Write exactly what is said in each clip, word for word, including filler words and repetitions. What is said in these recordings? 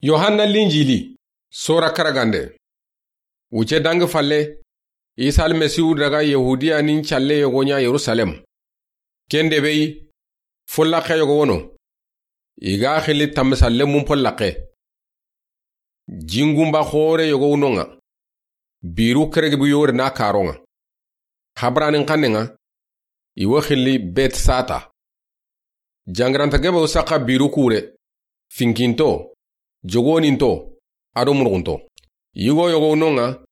Yohanna Linjili, sora karagande. Wuce dangi falle, Isa Almasihu daga Yahudiya nin calle yogo ɲa Yerusalem. Ken debe yi, follaxe yogo wono. I ga xili tammisalle mun follaxe. Jingunba xoore yogo wuno ŋa. Biru keregi bu yore na karo ŋa. Habranin xanne ŋa, i wo xili Betsata. Jangiranta gebe wo saxa biru kure, finkinto, jogoninto, ado murgunto. Yigo yogo wuno ŋa,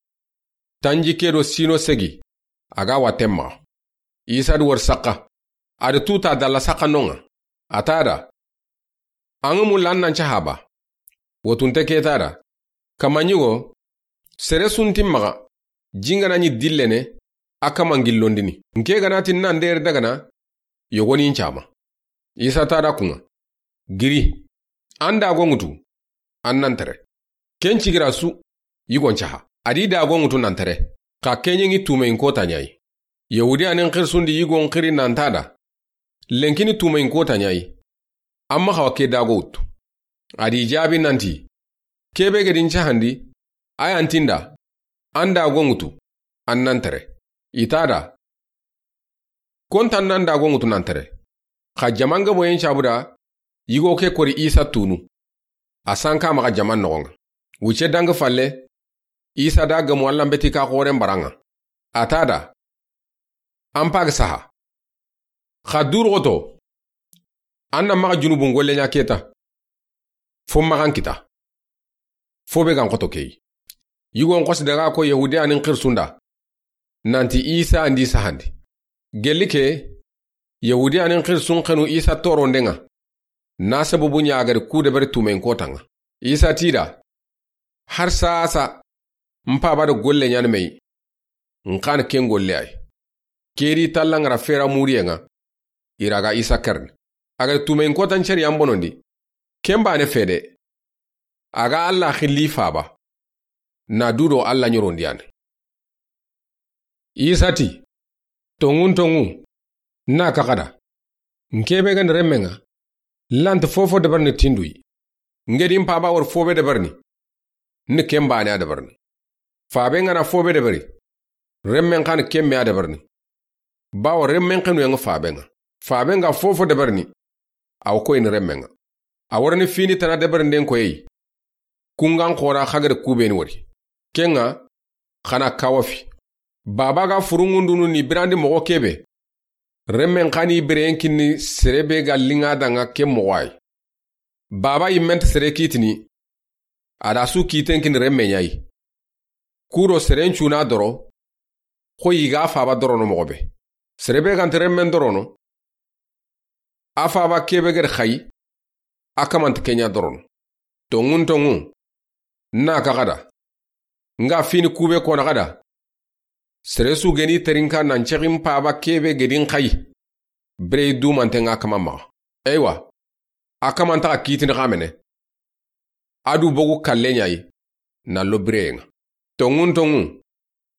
tanji ke do sino segi, a ga watten maxa. Isa di wori saxa, a di tuta dalla saxa no ŋa, a ta da. An ŋa mu lan nan ca haba. Wotunte ke ta da. Kama ɲigo, sere sunti maxa, jingana ɲi dillene, a kama ngillondini. Nke gana ti nan deri dagana, yogoni ncama. Isa ta da kuŋa. Giri. An da go ŋutu. An nan tere. Ken cigira su, yigon caha. A di da go ŋutu nan tere. Xa kenye ŋi tume in kota ɲayi. Yahudiya nin xirsundi yigon xiri nan ta da. Lenkini tume in kota ɲayi. Amma xawa ke da go wuttu. A di jabi nanti. Kebe gedin cahandi. A yan tinda. An da go ŋutu. An nan tere. I ta da. Kontan nan da go ŋutu nan tere. Xa jaman gabo yen cabu da, yigo ke kori Isa tunu. A sanka maxa jaman noxon ŋa. Wuce dangi falle, Isa da gamu Alla mbeti ka xoren baran ŋa. A ta da. An pag saha. Xa duruxoto. An na maxa junubun golle ɲa keta. Fo maxan kita. Fo be gan xoto keyi. Yigon xosi daga ko Yahudiya nin xirsunda. Nanti Isa andi sahandi. Gelli ke, Yahudiya nin xirsun xenu Isa toronden ŋa. Na sababu ɲa gari ku deberi tumen kotan ŋa. Isa ti da. Har sasa, n paba do golle ɲani meyi. N xan ken golle ay. Keri talla ŋara fera muriyen ŋa. I ra ga Isa kerni. A ga tumen kotan ceri yan bonondi. Ken bane fede. A ga Alla xilli faba. Na dudo Alla ɲorondiyane. Isa ti. Tonŋun tonŋu. Na kaxada. N kebe gani remmen ŋa. Lanti fofo deberni tinduyi. N gedi n paba wori fobe deberni. Ni ken bane a deberni. Faben ŋa na fobe deberi. Remmen xani kemme a deberni. Bawo remmen xenu yan ŋa faben ŋa. Faben ga fofo deberni. Aw koyini remmen ŋa. A worini fini tana debernden koyeyi. Kungan xora xagari kubeni wori. Ken ŋa, xana kawafi. Baba ga furungundunu ni birandi moxo kebe. Remmen xani bireyen kinni serebe ga linga danga ke moxo ay. Baba yimmente sere kitini. A da su kiten kini remmen ɲayi. Kuro seren cuna doro. Xo yiga faba dorono moxo be. Serebe gante remmen dorono. A faba kebe gedi xayi. A kamanti kenya dorono. Tonŋun tonŋu. Na kaxada. Nga fini kube kona xada. Sere su geni terinka nan cexin paba kebe gedin xayi. Bire dumanten ŋa kama maxa. Eywa. A kamantaxa kitini xamene. A du bogu kalle ɲayi. Na lo bireyen ŋa. Tonŋun tonŋu.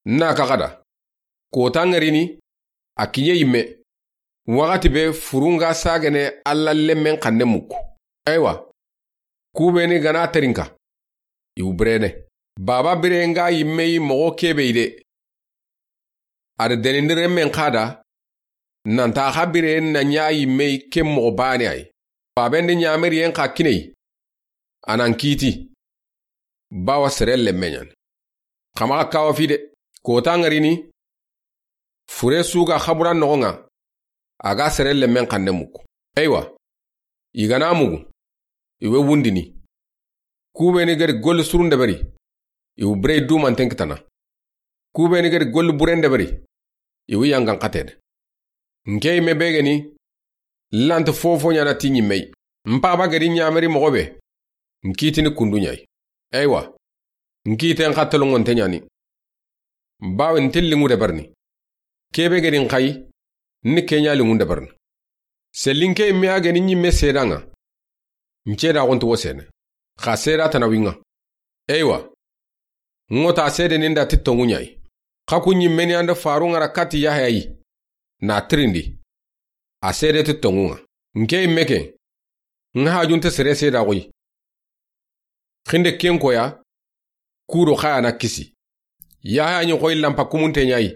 Na kaxada. Kota ŋarini. A kiɲe yimme. Waxati be furunga sagene Alla lemmen xanne muku. Eywa. Kubeni gana terinka. Iwu birene. Baba bireyen ga yimme yi moxo kebe yi de. A da denindi remmen xada. Nanta xa bireyen na ɲa yimme yi ke moxo bane ay. Faben de ɲameriyen xa kinei. A nan kiti. Bawa sere lemme ɲani. Xamaxa kawa fi de. Kota ŋarini. Fure su ga xaburan noxon ŋa. A ga sere lemmen xanne muku. Eywa. I gana mugu. I we wundini. Kubeni gedi golli surun deberi. Iwu bire dumanten kitana. Kubeni gedi golli buren deberi. Iwu yangan xatene. Nke yimme begeni. Lanti fofo ɲana ti ɲimmei. N paba gedi ɲameri moxo be. N kitini kundu ɲayi. Eywa. N kiten xa tolongonte ɲani. Bawe n ti linŋu deberni. Kebe gedi n xayi. Ni kenya linŋu deberni. Selinke yimme a geni ɲimme sedan ŋa. N ceda xonti wo sene. Xa seda tana winŋa. Eywa. Ŋota sede ninda ti tonŋu ɲayi. Xa ku ɲimmeni anda faru ŋara kati Yahaya yi. Na tirindi. A sede ti tonŋu ŋa. Nke yimme ke. N hajunte sere seda xoyi. Xinde ken koya, kudo xa ya na kisi. Yahaya ɲi xoyi lampa kumunte ɲa yi.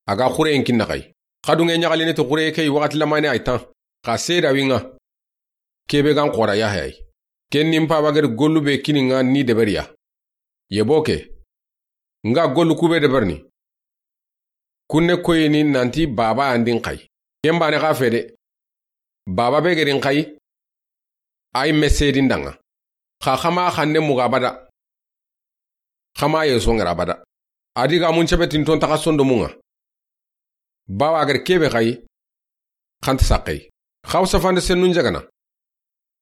A ga xureyen kinna xa yi. Xa dunge ɲaxalini ti xureye ke yi waxati lamane ay tan. Xa seeda wi ŋa. Kebe gan xora Yahaya yi. Ken ni n paba gedi gollu be kini ŋa ni deberiya. Yebo ke. Nga gollu kube deberni. Kunne koyini nanti baba andin xa yi. Ken bane xa fede. Baba be gedin xa yi. Ay mesedin danga. Xa xama xanne muga bada. Xama ye songera bada. Adiga mun cebe tinton taxa sondo munga. Bawa gedi kebe xa yi. Xanti saxey. Xaw safande sennun jagana.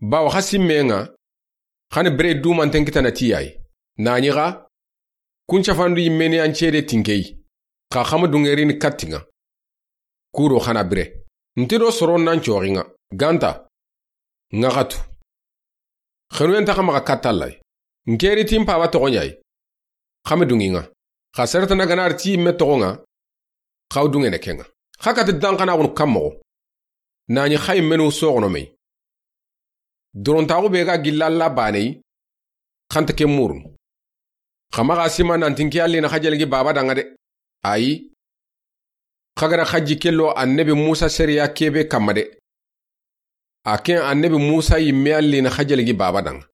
Bawa xa simmenga. Xani bire dumanten kitana tiyayi. Naɲi xa. Kun cafandu yimmeni an cede tinkeyi. Xa xama dungerini kattinga. Kudo xana bire. Nti do soron nan coxinga. Ganta. Ŋaxatu. Xenuyen taxa maxa kattallay. Nkeri tin paba toxoɲayi. Xame dunginga. Xa seretana ganar ti yimme toxonga. Xaw dungene kenga. Xa kati dan xana xunu kammoxo. Naɲi xa yimmenu soxono mey. Dorontaxu be ga gilla Alla baneyi. Xanta ke murunu. Xa maxa sima nanti nke Alla na xajaligi baba danga de. Ayi. Xa gara xaji kello annabi Musa seriya kebe kamma de. A ken annabi Musa yimme Alla na xajaligi baba danga.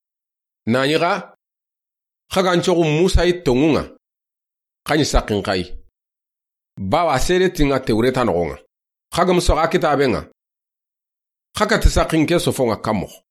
Naɲi xa. Xa gan coxu Musa yi tongunga. Xaɲi saxin xa yi. Bawa sere tinga Tewreta noxonga. Xa gam soxa kitabenga. Xa kati saxin ke sofonga kammoxo.